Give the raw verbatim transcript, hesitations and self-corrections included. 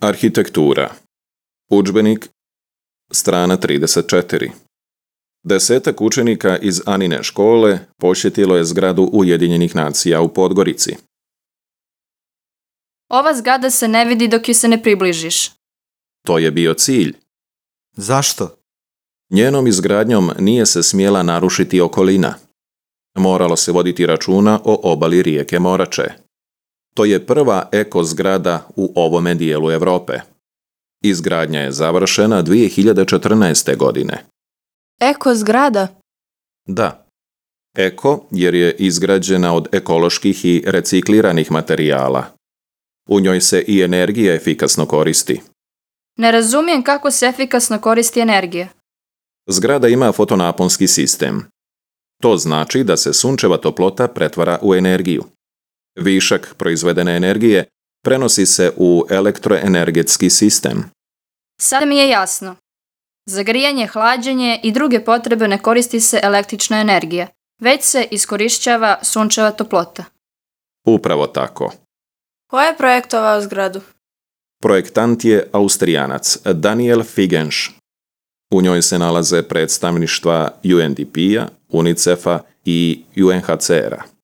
Arhitektura. Udžbenik, strana trideset četiri. Desetak učenika iz Anine škole posjetilo je zgradu Ujedinjenih nacija u Podgorici. Ova zgrada se ne vidi dok joj se ne približiš. To je bio cilj. Zašto? Njenom izgradnjom nije se smjela narušiti okolina. Moralo se voditi računa o obali rijeke Morače. To je prva eko zgrada u ovome dijelu Europe. Izgradnja je završena dvije hiljade četrnaeste. godine. Eko zgrada? Da. Eko jer je izgrađena od ekoloških i recikliranih materijala. U njoj se i energija efikasno koristi. Ne razumijem kako se efikasno koristi energija. Zgrada ima fotonaponski sistem. To znači da se sunčeva toplota pretvara u energiju. Višak proizvedene energije prenosi se u elektroenergetski sistem. Sada mi je jasno. Za grijanje, hlađenje i druge potrebe ne koristi se električna energija, već se iskorišćava sunčeva toplota. Upravo tako. Ko je projektovao zgradu? Projektant je Austrijanac Daniel Figensch. U njoj se nalaze predstavništva U N D P-a, UNICEF-a i U N H C R-a.